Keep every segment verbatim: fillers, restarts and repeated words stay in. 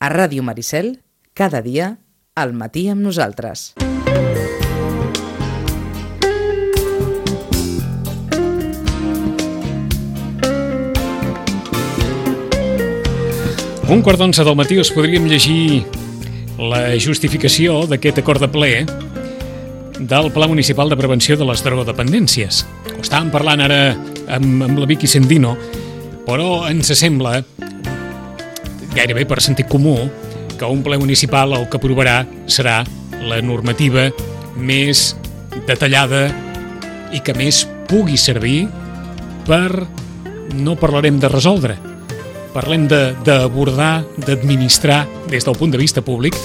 A Ràdio Maricel, cada dia, al matí amb nosaltres. Un quart d'onze del matí us podríem llegir la justificació d'aquest acord de ple del Pla Municipal de Prevenció de les Drogodependències. Ho estàvem parlant ara amb, amb la Vicky Sendino, però ens sembla, gairebé per sentit comú, que un ple municipal el que aprovarà serà la normativa més detallada i que més pugui servir per, no parlarem de resoldre, parlem d'abordar, d'administrar des del punt de vista públic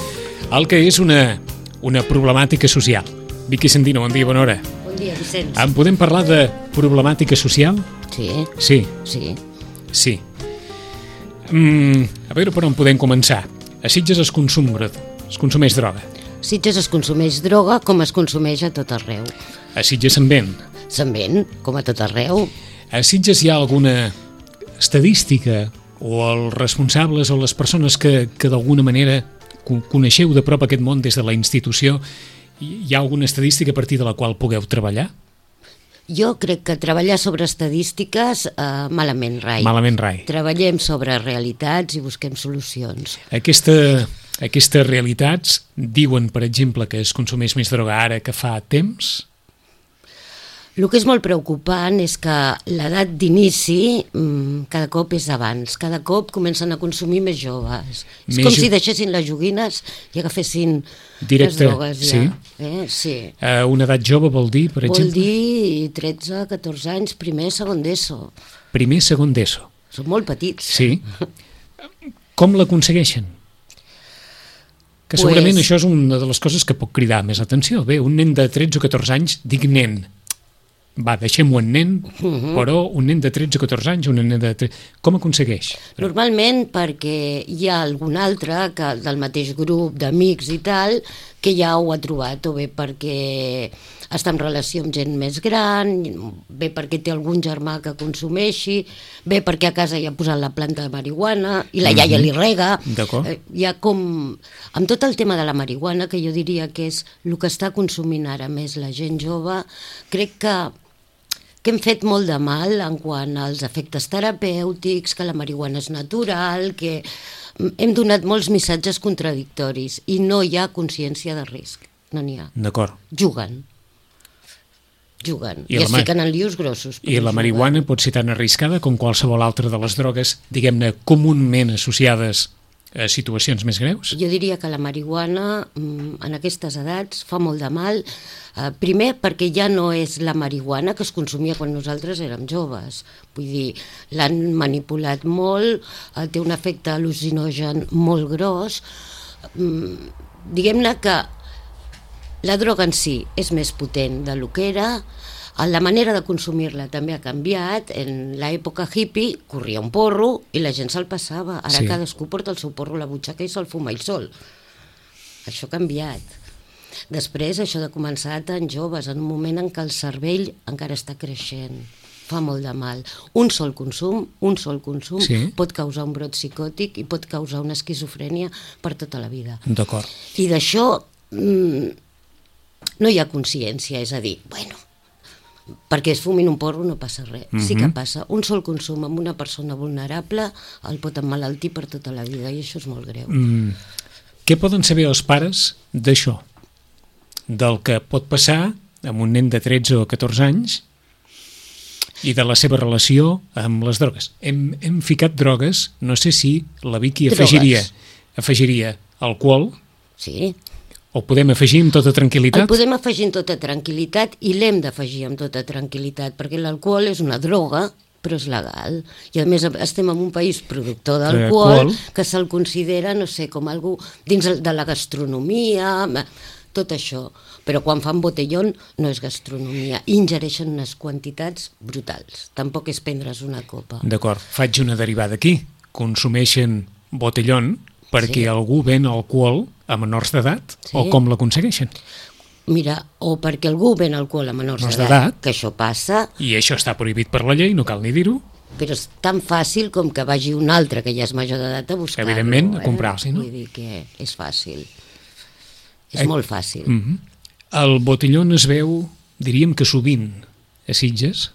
el que és una, una problemàtica social. Vicky Sendino, bon dia, bona hora. Bon dia, Vicenç. En podem parlar de problemàtica social? Sí. Sí. Sí. Sí. Mm, a veure per on podem començar. A Sitges es consum, es consumeix droga. A Sitges es consumeix droga com es consumeix a tot arreu. A Sitges se'n ven. Se'n ven, com a tot arreu. A Sitges hi ha alguna estadística o els responsables o les persones que, que d'alguna manera coneixeu de prop aquest món des de la institució, hi ha alguna estadística a partir de la qual pugueu treballar? Jo crec que treballar sobre estadístiques eh, malament rai. Malament rai. Treballem sobre realitats i busquem solucions. Aquesta, aquestes realitats diuen, per exemple, que es consumeix més droga ara que fa temps? El que és molt preocupant és que l'edat d'inici mmm, cada cop és abans, cada cop comencen a consumir més joves. És més com jo... si deixessin les joguines i agafessin directe, les drogues ja. Sí? Eh? Sí. Uh, una edat jove vol dir, per vol exemple? Vol dir tretze, catorze anys, primer, segon d'ESO. Primer, segon d'ESO. Són molt petits. Sí. Com l'aconsegueixen? Que segurament pues... això és una de les coses que pot cridar més atenció. Bé, un nen de tretze o catorze anys, dic nen, va, deixem-ho en nen, uh-huh. però un nen de tretze o catorze anys, un nen de tretze... Com aconsegueix? Normalment perquè hi ha algun altre que del mateix grup d'amics i tal que ja ho ha trobat, o bé perquè està en relació amb gent més gran, bé perquè té algun germà que consumeixi, bé perquè a casa hi ha posat la planta de marihuana i la iaia uh-huh. li rega. D'acord. Eh, hi ha com... Amb tot el tema de la marihuana, que jo diria que és el que està consumint ara més la gent jove, crec que que hem fet molt de mal en quant als efectes terapèutics, que la marihuana és natural, que hem donat molts missatges contradictoris i no hi ha consciència de risc, no n'hi ha. D'acord. Juguen. Juguen. I, I es ma... fiquen en lius grossos. I la marihuana pot ser tan arriscada com qualsevol altra de les drogues, diguem-ne, comúment associades a situacions més greus? Jo diria que la marihuana en aquestes edats fa molt de mal, eh, primer perquè ja no és la marihuana que es consumia quan nosaltres érem joves, vull dir, l'han manipulat molt, eh, té un efecte al·lucinogen molt gros, mm, diguem-ne que la droga en si és més potent del que era. La manera de consumir-la també ha canviat. En l'època hippie corria un porro i la gent se'l passava. Ara sí. Cadascú porta el seu porro a la butxaca i se'l fuma ell sol. Això ha canviat. Després, això de començar tan joves, en un moment en què el cervell encara està creixent, fa molt de mal. Un sol consum, un sol consum sí. pot causar un brot psicòtic i pot causar una esquizofrènia per tota la vida. D'acord. I d'això mmm, no hi ha consciència, és a dir, bueno, perquè es fumin un porro no passa res, uh-huh. sí que passa. Un sol consum amb una persona vulnerable el pot emmalaltir per tota la vida i això és molt greu. Mm. Què poden saber els pares d'això? Del que pot passar amb un nen de tretze o catorze anys i de la seva relació amb les drogues. Hem, hem ficat drogues, no sé si la Vicky afegiria, afegiria alcohol. Sí. O podem afegir amb tota tranquil·litat? El podem afegir amb tota tranquil·litat i l'hem d'afegir amb tota tranquil·litat, perquè l'alcohol és una droga, però és legal. I a més estem en un país productor d'alcohol que se'l considera, no sé, com algú dins de la gastronomia, tot això. Però quan fan botellón no és gastronomia, ingereixen unes quantitats brutals. Tampoc és prendre's una copa. D'acord, faig una derivada aquí. Consumeixen botellón perquè sí. algú ven alcohol a menors d'edat, sí. o com l'aconsegueixen? Mira, o perquè algú ven alcohol a menors menors d'edat, que això passa... I això està prohibit per la llei, no cal ni dir-ho. però és tan fàcil com que vagi un altre que ja és major d'edat a buscar-lo. Evidentment, a eh? comprar-s'hi, no? Vull dir que és fàcil. És Eh, molt fàcil. Mm -hmm. El botellón es veu, diríem que sovint, a Sitges.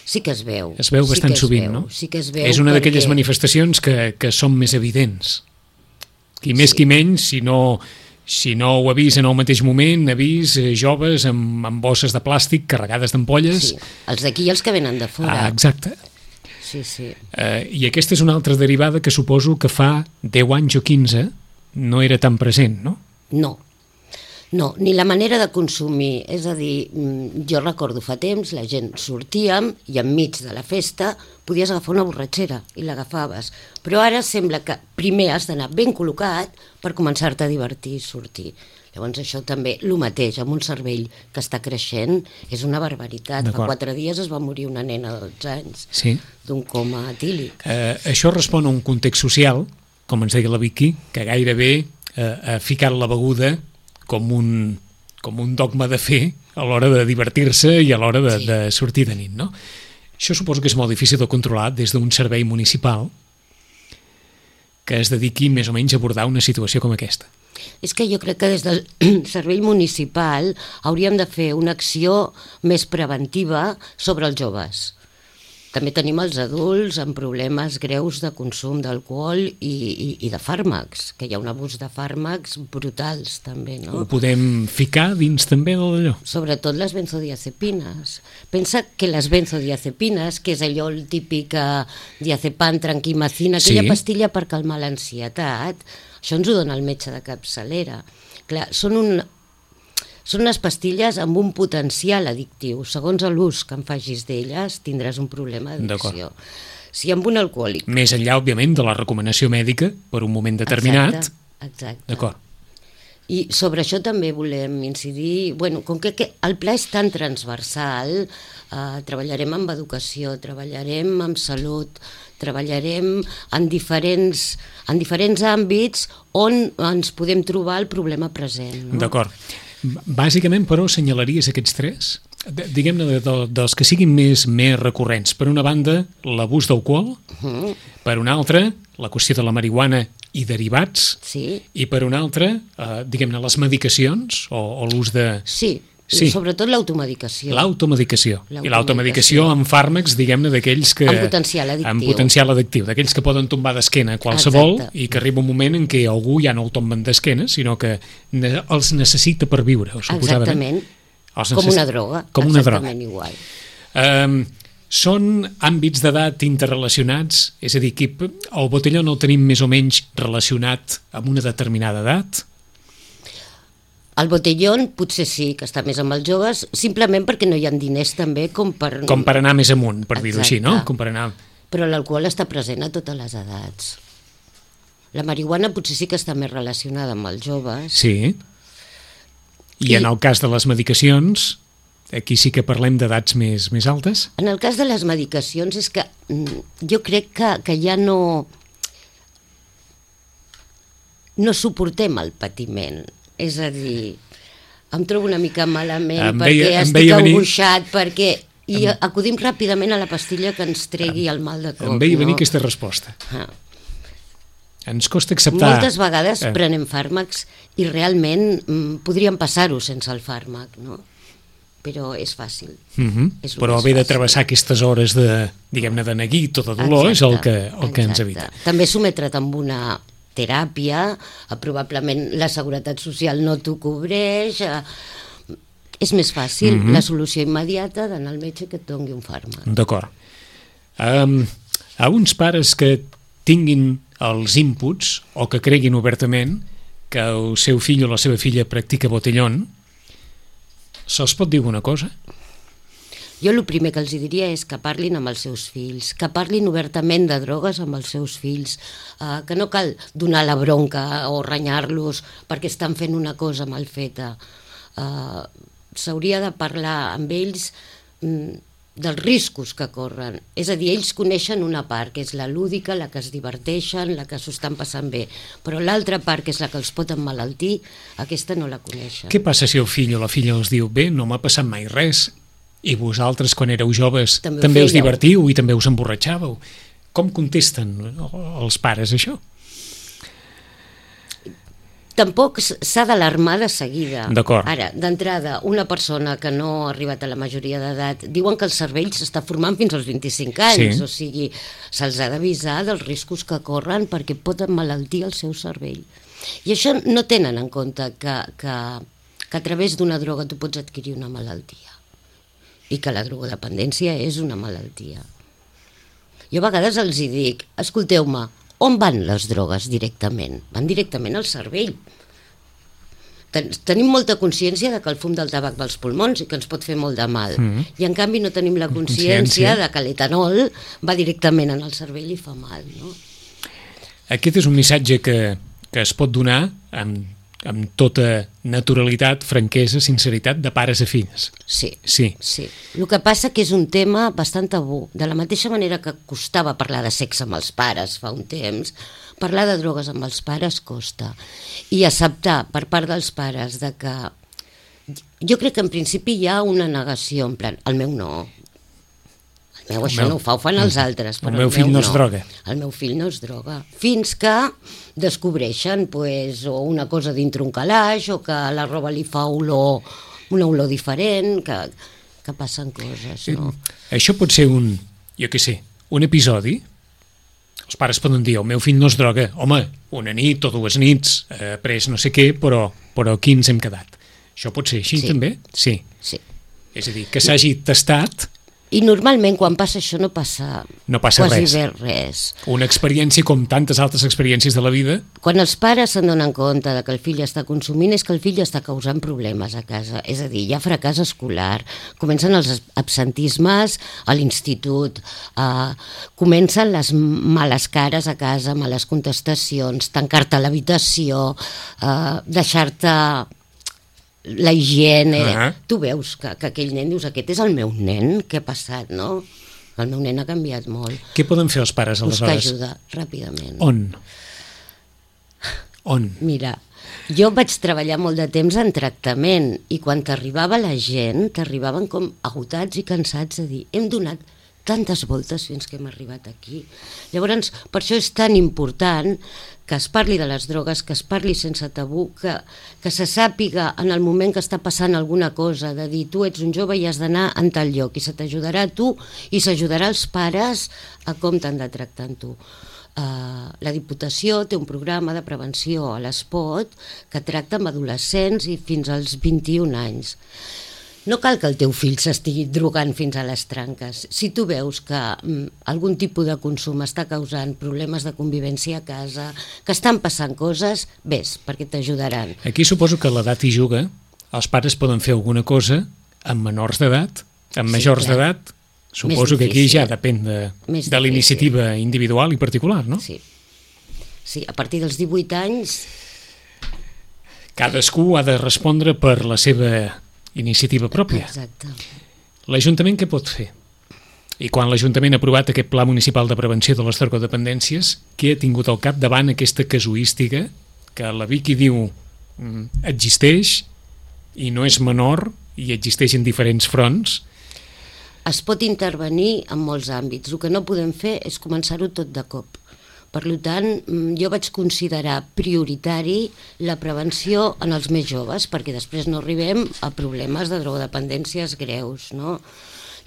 Sí que es veu. Es veu sí bastant que es sovint, veu, no? Sí que es veu És una perquè... d'aquelles manifestacions que, que són més evidents. Qui més, Sí. qui menys, si no, si no ho ha vist en el mateix moment, ha vist eh, joves amb, amb bosses de plàstic carregades d'ampolles. Sí, els d'aquí i els que venen de fora. Ah, exacte. Sí, sí. Eh, I aquesta és una altra derivada que suposo que fa deu anys o quinze no era tan present, no? No. No, ni la manera de consumir. És a dir, mm, jo recordo fa temps, la gent sortíem i enmig de la festa podies agafar una borratxera i l'agafaves. Però ara sembla que primer has d'anar ben col·locat per començar-te a divertir i sortir. Llavors això també, el mateix, amb un cervell que està creixent, és una barbaritat. Fa quatre dies es va morir una nena de dotze anys sí. d'un coma etílic. Eh, això respon a un context social, com ens deia la Vicky, que gairebé eh, ha ficat la beguda com un, com un dogma de fer a l'hora de divertir-se i a l'hora de, Sí. de sortir de nit, no? Això suposo que és molt difícil de controlar des d'un servei municipal que es dediqui més o menys a abordar una situació com aquesta. És que jo crec que des del servei municipal hauríem de fer una acció més preventiva sobre els joves. També tenim els adults amb problemes greus de consum d'alcohol i, i, i de fàrmacs, que hi ha un abús de fàrmacs brutals també, no? Ho podem ficar dins també d'allò. Sobretot les benzodiazepines. Pensa que les benzodiazepines, que és allò el típic eh, diazepam, tranquimacina, aquella Sí. pastilla per calmar l'ansietat, això ens ho dona el metge de capçalera. Clar, són un, són unes pastilles amb un potencial addictiu. Segons l'ús que en facis d'elles, tindràs un problema d'addicció. Si amb un alcohòlic... Més enllà, òbviament, de la recomanació mèdica per un moment determinat. Exacte, exacte. D'acord. I sobre això també volem incidir, bueno, com que, que el pla és tan transversal, eh, treballarem amb educació, treballarem amb salut, treballarem en diferents, en diferents àmbits on ens podem trobar el problema present. No? D'acord. Bàsicament, però, assenyalaries aquests tres? De, diguem-ne, de, de, dels que siguin més, més recurrents. Per una banda, l'abús d'alcohol, Uh-huh. per una altra, la qüestió de la marihuana i derivats, Sí, i per una altra, eh, diguem-ne, les medicacions o, o l'ús de... sí, Sí. I sobretot l'automedicació. L'automedicació. I L'automedicació. l'automedicació amb fàrmecs, diguem-ne, d'aquells que... Amb potencial addictiu. Amb potencial addictiu, d'aquells que poden tombar d'esquena qualsevol. Exacte. I que arriba un moment en què algú ja no el tomben d'esquena, sinó que ne els necessita per viure, suposadament. Exactament, Els com necessi- una droga. Com una droga. Exactament igual. Um, són àmbits d'edat interrelacionats? És a dir, que el botellón el tenim més o menys relacionat amb una determinada edat? El botellón potser sí, que està més amb els joves, simplement perquè no hi ha diners també com per... Com per anar més amunt, per dir-ho així, no? Exacte. Com per anar... Però l'alcohol està present a totes les edats. La marihuana potser sí que està més relacionada amb els joves. Sí. I, I- en el cas de les medicacions, aquí sí que parlem d'edats més, més altes? En el cas de les medicacions és que mm, jo crec que, que ja no... no suportem el patiment. És a dir, em trobo una mica malament Em perquè veia- em estic veia venir- angoixat, perquè... I acudim ràpidament a la pastilla que ens tregui el mal de cop. Em veia venir no? aquesta resposta. Ah. Ens costa acceptar... Moltes vegades Eh. prenem fàrmacs i realment mm, podríem passar-ho sense el fàrmac, no? Però és fàcil. Mhm. És el Però més haver de fàcil. travessar aquestes hores de, diguem-ne, de neguit o de dolor és el que, el que ens exacte. evita. També sometre't amb una teràpia, eh, probablement la Seguretat Social no t'ho cobreix, eh, és més fàcil, Mhm. la solució immediata d'anar al metge que et doni un fàrmac. D'acord. Um, a uns pares que tinguin els inputs o que creguin obertament que el seu fill o la seva filla practica botellón, se'ls pot dir alguna cosa? Jo el primer que els diria és que parlin amb els seus fills, que parlin obertament de drogues amb els seus fills, eh, que no cal donar la bronca o renyar-los perquè estan fent una cosa mal feta. Eh, S'hauria de parlar amb ells mm, dels riscos que corren. És a dir, ells coneixen una part, que és la lúdica, la que es diverteixen, la que s'ho estan passant bé, però l'altra part, que és la que els pot emmalaltir, aquesta no la coneixen. Què passa si el fill o la filla els diu bé, no m'ha passat mai res, I vosaltres, quan éreu joves, També ho també us fèieu. divertiu i també us emborratxàveu. Com contesten els pares això? Tampoc s- s'ha d'alarmar de seguida. D'acord. Ara, d'entrada, una persona que no ha arribat a la majoria d'edat, diuen que el cervell s'està formant fins als vint-i-cinc anys, Sí. o sigui, se'ls ha d'avisar dels riscos que corren perquè pot emmalaltir el seu cervell. I això no tenen en compte que, que, que a través d'una droga tu pots adquirir una malaltia i que la drogodependència és una malaltia. Jo a vegades els hi dic, escolteu-me, on van les drogues directament? Van directament al cervell. Ten tenim molta consciència de que el fum del tabac va als pulmons i que ens pot fer molt de mal. Mm. I en canvi no tenim la consciència, Consciència. de que l'etanol va directament en el cervell i fa mal, no? Aquest és un missatge que, que es pot donar amb, amb tota naturalitat, franquesa, sinceritat, de pares a fills. Sí. Sí. Sí. El que passa que és un tema bastant tabú. De la mateixa manera que costava parlar de sexe amb els pares fa un temps, parlar de drogues amb els pares costa. I acceptar per part dels pares de que... Jo crec que en principi hi ha una negació, en plan, el meu no. El meu El això meu- no ho fa, ho fan els altres, el però meu fill no es droga. El meu fill no es droga. Fins que descobreixen pues, o una cosa dintre un calaix o que la roba li fa olor, una olor diferent, que, que passen coses, no? Això pot ser un, jo què sé, un episodi. Els pares poden dir, el meu fill no es droga. Home, una nit o dues nits, ha pres no sé què, però, però aquí ens hem quedat. Això pot ser així Sí. també? Sí. Sí. És a dir, que s'hagi tastat I normalment quan passa això no passa, No passa quasi res. bé res. una experiència com tantes altres experiències de la vida. Quan els pares se'n donen compte de que el fill està consumint és que el fill està causant problemes a casa. És a dir, hi ha fracàs escolar, comencen els absentismes a l'institut, eh, comencen les males cares a casa, males contestacions, tancar-te a l'habitació, eh, deixar-te la higiene... Ah. Tu veus que, que aquell nen, dius, aquest és el meu nen, què ha passat, no? El meu nen ha canviat molt. Què poden fer els pares Buscar aleshores? ajuda, ràpidament. On? On? Mira, jo vaig treballar molt de temps en tractament i quan t'arribava la gent, t'arribaven com agotats i cansats de dir hem donat tantes voltes fins que hem arribat aquí. Llavors, per això és tan important que es parli de les drogues, que es parli sense tabú, que, que se sàpiga en el moment que està passant alguna cosa, de dir tu ets un jove i has d'anar en tal lloc i se t'ajudarà a tu i s'ajudarà als pares a com t'han de tractar amb tu. Uh, la Diputació té un programa de prevenció a l'Espot que tracta amb adolescents i fins als vint-i-un anys. No cal que el teu fill s'estigui drogant fins a les tranques. Si tu veus que mm, algun tipus de consum està causant problemes de convivència a casa, que estan passant coses, vés, perquè t'ajudaran. Aquí suposo que l'edat hi juga. Els pares poden fer alguna cosa amb menors d'edat, amb Sí, majors clar. d'edat. Suposo que aquí difícil. ja depèn de, Més de l'iniciativa individual i particular, no? Sí. Sí, a partir dels divuit anys, Cadascú ha de respondre per la seva iniciativa pròpia. exacte. L'Ajuntament què pot fer? I quan l'Ajuntament ha aprovat aquest Pla Municipal de Prevenció de les Drogodependències, què ha tingut al cap davant aquesta casuística que la Vicky diu mm, existeix i no és menor i existeix en diferents fronts? Es pot intervenir en molts àmbits. El que no podem fer és començar-ho tot de cop. Per tant, jo vaig considerar prioritari la prevenció en els més joves, perquè després no arribem a problemes de drogodependències greus, no?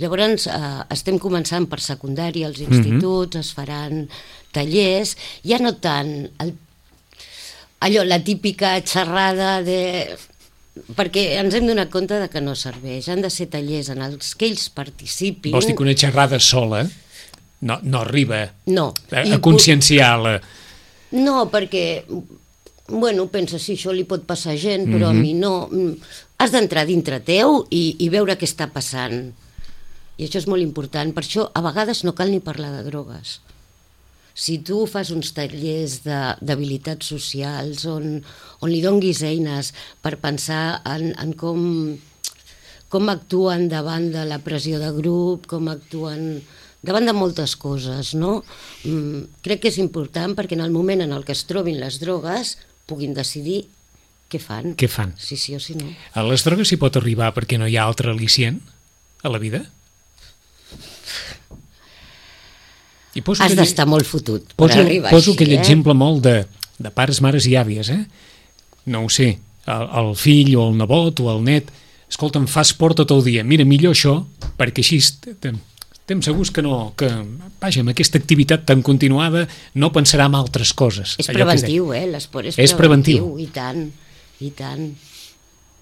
Llavors, eh, estem començant per secundària, als instituts, mm-hmm. es faran tallers, ja no tant el, allò, la típica xerrada de... perquè ens hem donat compte de que no serveix. Han de ser tallers en els que ells participin. Vols dir que una xerrada sola no, no arriba No. a, I a conscienciar la... No, perquè, bueno, pensa, si això li pot passar a gent, però mm-hmm. a mi no. Has d'entrar dintre teu i, i veure què està passant. I això és molt important. Per això, a vegades, no cal ni parlar de drogues. Si tu fas uns tallers d'habilitats socials on, on li donguis eines per pensar en, en com, com actuen davant de la pressió de grup, com actuen davant de moltes coses, no? Mm, crec que és important perquè en el moment en el que es trobin les drogues puguin decidir què fan. Què fan? Si sí o si no. A les drogues s'hi pot arribar perquè no hi ha altre al·licient? a la vida? I poso Has aquell- d'estar molt fotut per Poso, arribar poso així, aquell eh? exemple molt de, de pares, mares i àvies, eh? No ho sé, el, el fill o el nebot o el net, escolta, em fa esport tot el dia, mira, millor això, perquè així estem, estem segurs que no, que, vaja, amb aquesta activitat tan continuada no pensarà en altres coses. És allò que es preventiu, eh? L'esport és, És preventiu. I tant, i tant,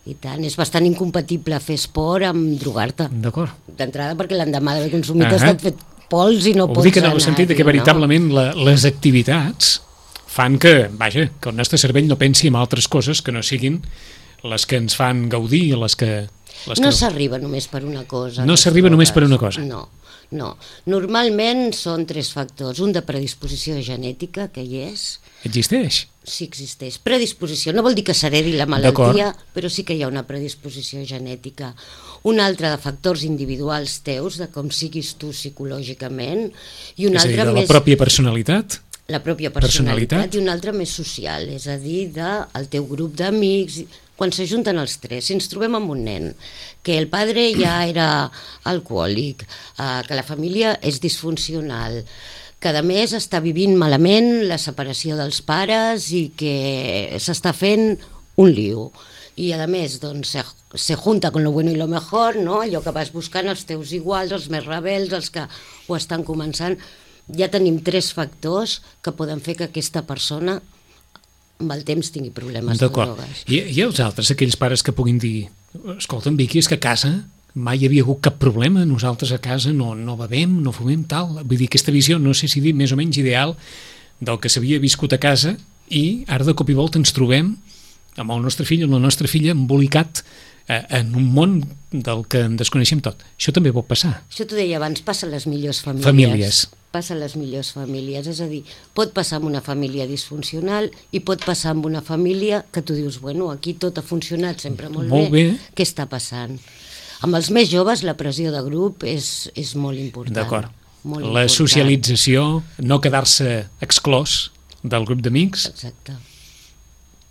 i tant. És bastant incompatible fer esport amb drogar-te. deia. D'acord. D'entrada perquè l'endemà d'haver consumit Ahà. has estat fet pols i no Ho pots dic en el anar. sentit de que no? veritablement la, les activitats fan que, vaja, que el nostre cervell no pensi en altres coses que no siguin les que ens fan gaudir, les que... Les No que s'arriba només per una cosa. No les s'arriba només per drogues. una cosa. No, no. Normalment són tres factors. Un de predisposició genètica, que hi és, Existeix. sí existeix. Predisposició, no vol dir que s'heredi la malaltia, però sí que hi ha una predisposició genètica. Un altre de factors individuals teus, de com siguis tu psicològicament, i un És a dir, altre de la més... pròpia personalitat. La pròpia personalitat. personalitat, i un altre més social, és a dir, del teu grup d'amics, quan s'ajunten els tres. Si ens trobem amb un nen, que el padre ja era alcohòlic, eh, que la família és disfuncional, que a més està vivint malament la separació dels pares i que s'està fent un lío. I a més, doncs, se, se junta con lo bueno y lo mejor, no? Allò que vas buscant els teus iguals, els més rebels, els que ho estan començant. Ja tenim tres factors que poden fer que aquesta persona amb el temps tingui problemes de D'acord. drogues. I, I els altres, aquells pares que puguin dir escolta'm, Vicky, és que a casa mai hi havia hagut cap problema, nosaltres a casa no, no bevem, no fumem, tal. Vull dir, aquesta visió, no sé si dir més o menys ideal del que s'havia viscut a casa i ara de cop i volta ens trobem amb el nostre fill o la nostra filla embolicat eh, en un món del que en desconeixem tot. Això també pot passar. Això t'ho deia abans, passa a les millors famílies. Famílies. Passa a les millors famílies, és a dir, pot passar amb una família disfuncional i pot passar amb una família que tu dius, bueno, aquí tot ha funcionat sempre molt, Molt bé. Què està passant? Amb els més joves la pressió de grup és, és molt important. D'acord. Molt La important. socialització, no quedar-se exclòs del grup d'amics, Exacte.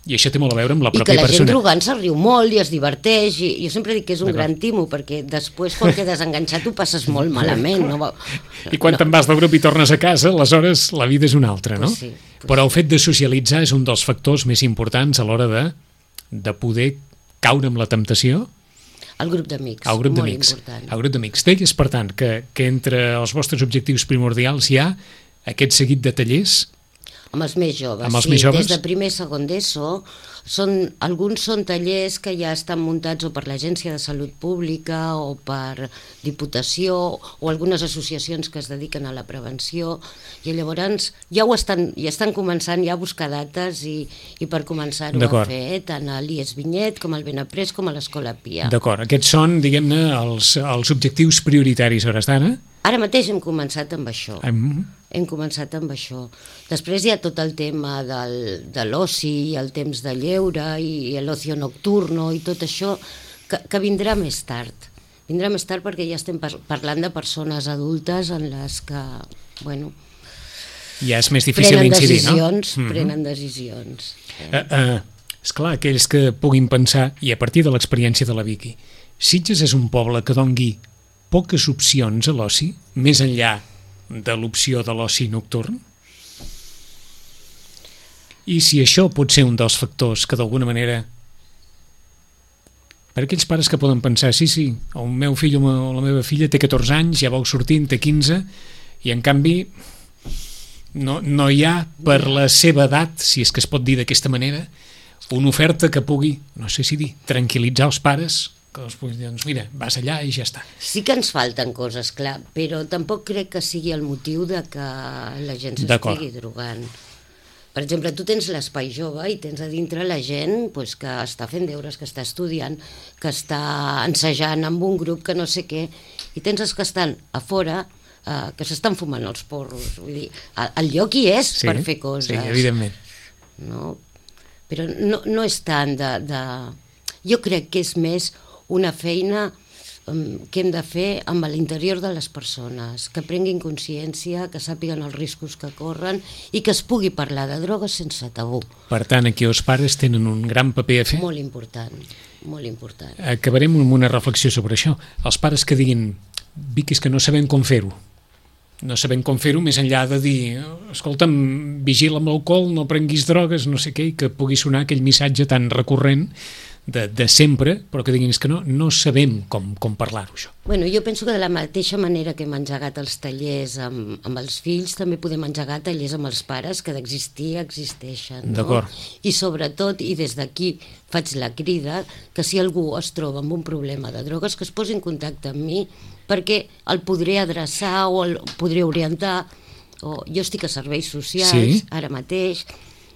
i això té molt a veure amb la I que pròpia la gent persona. drogant se'l riu molt i es diverteix, i jo sempre dic que és un D'acord. gran timo, perquè després quan quedes enganxat ho passes molt malament. No? va- I quan no. te'n vas del grup i tornes a casa, aleshores la vida és una altra, no? Pues sí, pues Però el fet de socialitzar és un dels factors més importants a l'hora de, de poder caure amb la temptació El grup d'amics, al grup molt d'amics. important. Al grup d'amics. Deies, per tant, que, que entre els vostres objectius primordials hi ha aquest seguit de tallers. Amb els més joves, Amb els sí, més joves? des de primer i segon d'ESO, són, alguns són tallers que ja estan muntats o per l'Agència de Salut Pública o per Diputació o algunes associacions que es dediquen a la prevenció, i llavors ja ho estan, ja estan començant ja a buscar dates i, i per començar-ho a D'acord. fer, tant a l'I E S Vinyet com al Benaprés com a l'Escola Pia. D'acord, aquests són, diguem-ne, els, els objectius prioritaris a hores d'ara. Ara mateix hem començat amb això. Hem- Hem començat amb això. Després hi ha tot el tema del, de l'oci i el temps de lleure i l'ocio nocturno i tot això que, que vindrà més tard. Vindrà més tard perquè ja estem par parlant de persones adultes en les que, bueno, Ja és més difícil prenen incidir, no? decisions, Mhm. prenen decisions. Eh, eh, esclar, aquells que puguin pensar, i a partir de l'experiència de la Vicky, Sitges és un poble que dongui poques opcions a l'oci, més enllà de l'opció de l'oci nocturn? I si això pot ser un dels factors que d'alguna manera, per aquells pares que poden pensar, sí, sí, el meu fill o la meva filla té catorze anys, ja vau sortint, té quinze, i en canvi no, no hi ha per la seva edat, si és que es pot dir d'aquesta manera, una oferta que pugui, no sé si dir, tranquil·litzar els pares, que els pugui dir, doncs mira, vas allà i ja està. Sí que ens falten coses, clar, però tampoc crec que sigui el motiu de que la gent D'acord. s'estigui drogant. Per exemple, tu tens l'espai jove i tens a dintre la gent pues, que està fent deures, que està estudiant, que està ensejant amb un grup que no sé què, i tens els que estan a fora, eh, que s'estan fumant els porros. Vull dir, el, el lloc hi és Sí, per fer coses. sí, evidentment. No? Però no, no és tant de, de... Jo crec que és més una feina què hem de fer amb l'interior de les persones, que prenguin consciència, que sàpiguen els riscos que corren i que es pugui parlar de drogues sense tabú. Per tant, aquí els pares tenen un gran paper a fer. Molt important, molt important. Acabarem amb una reflexió sobre això. Els pares que diguin, Vic, és que no sabem com fer-ho. No sabem com fer-ho més enllà de dir, escolta'm, vigila amb l'alcohol, no prenguis drogues, no sé què, i que pugui sonar aquell missatge tan recurrent De, de sempre, però que diguin és que no, no sabem com, com parlar-ho, això. Bueno, jo penso que de la mateixa manera que hem engegat els tallers amb, amb els fills, també podem engegar tallers amb els pares, que d'existir existeixen. No? D'acord. I sobretot, i des d'aquí faig la crida, que si algú es troba amb un problema de drogues, que es posi en contacte amb mi, perquè el podré adreçar o el podré orientar. O jo estic a serveis socials, sí. Ara mateix.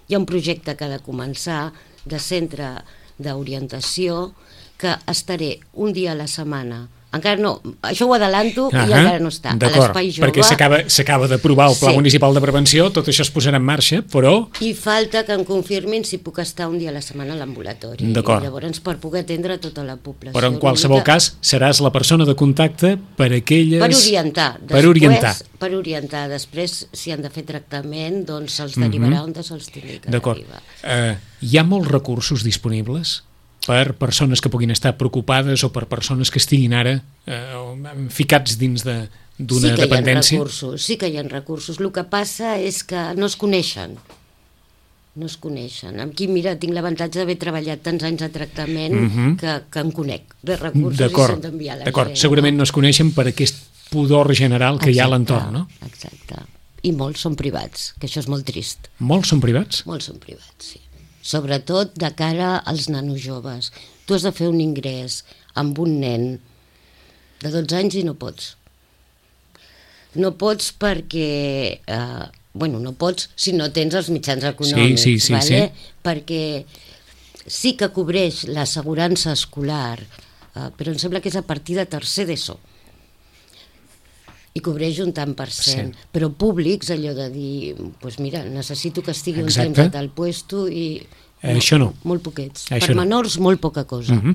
Hi ha un projecte que ha de començar de centre d'orientació, que estaré un dia a la setmana. Encara no, això ho adelanto uh -huh. i encara no està. A l'Espai Jove. Perquè s'acaba d'aprovar el Pla sí. Municipal de Prevenció, tot això es posarà en marxa, però... I falta que em confirmin si puc estar un dia a la setmana a l'ambulatori. D'acord. Llavors, per poder atendre tota la població. Però en qualsevol mica... cas, seràs la persona de contacte per a aquelles... Per orientar. Després, per orientar. Per orientar. Després, si han de fer tractament, doncs se'ls derivarà uh -huh. on se'ls tingui que derivar. Uh, hi ha molts recursos disponibles per persones que puguin estar preocupades o per persones que estiguin ara eh, ficats dins de, d'una sí que dependència? Hi ha recursos, sí que hi ha recursos. El que passa és que no es coneixen. No es coneixen. Aquí, mira, tinc l'avantatge d'haver treballat tants anys de tractament uh -huh. que, que em conec de recursos i s'han d'enviar a la D'acord, gent. segurament no es coneixen per aquest pudor general que exacte, hi ha a l'entorn, no? Exacte. I molts són privats, que això és molt trist. Molts són privats? Molts són privats, sí. Sobretot de cara als nanos joves. Tu has de fer un ingrés amb un nen de dotze anys i no pots. No pots perquè... Eh, bueno, no pots si no tens els mitjans econòmics, sí, sí, sí, vale? sí. Perquè sí que cobreix l'assegurança escolar, eh, però em sembla que és a partir de tercer d'ESO. I cobreix un tant per cent, sí. Però públics, allò de dir, doncs mira, necessito que estigui exacte. Un temps a tal puesto i... No, això no. Molt poquets. Això per no. menors, molt poca cosa. Uh -huh.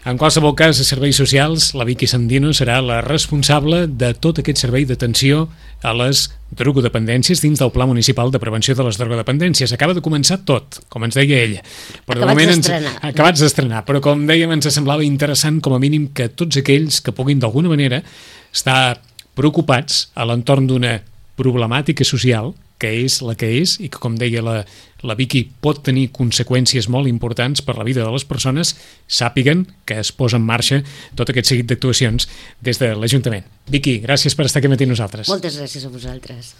En qualsevol cas, a Serveis Socials, la Vicky Sandino serà la responsable de tot aquest servei d'atenció a les drogodependències dins del Pla Municipal de Prevenció de les Drogodependències. Acaba de començar tot, com ens deia ella. Però acabats d'estrenar. Ens... Acabats d'estrenar, però com dèiem, ens semblava interessant com a mínim que tots aquells que puguin d'alguna manera estar preocupats a l'entorn d'una problemàtica social que és la que és i que, com deia la, la Vicky, pot tenir conseqüències molt importants per la vida de les persones, sàpiguen que es posa en marxa tot aquest seguit d'actuacions des de l'Ajuntament. Vicky, gràcies per estar aquí matí amb nosaltres. Moltes gràcies a vosaltres.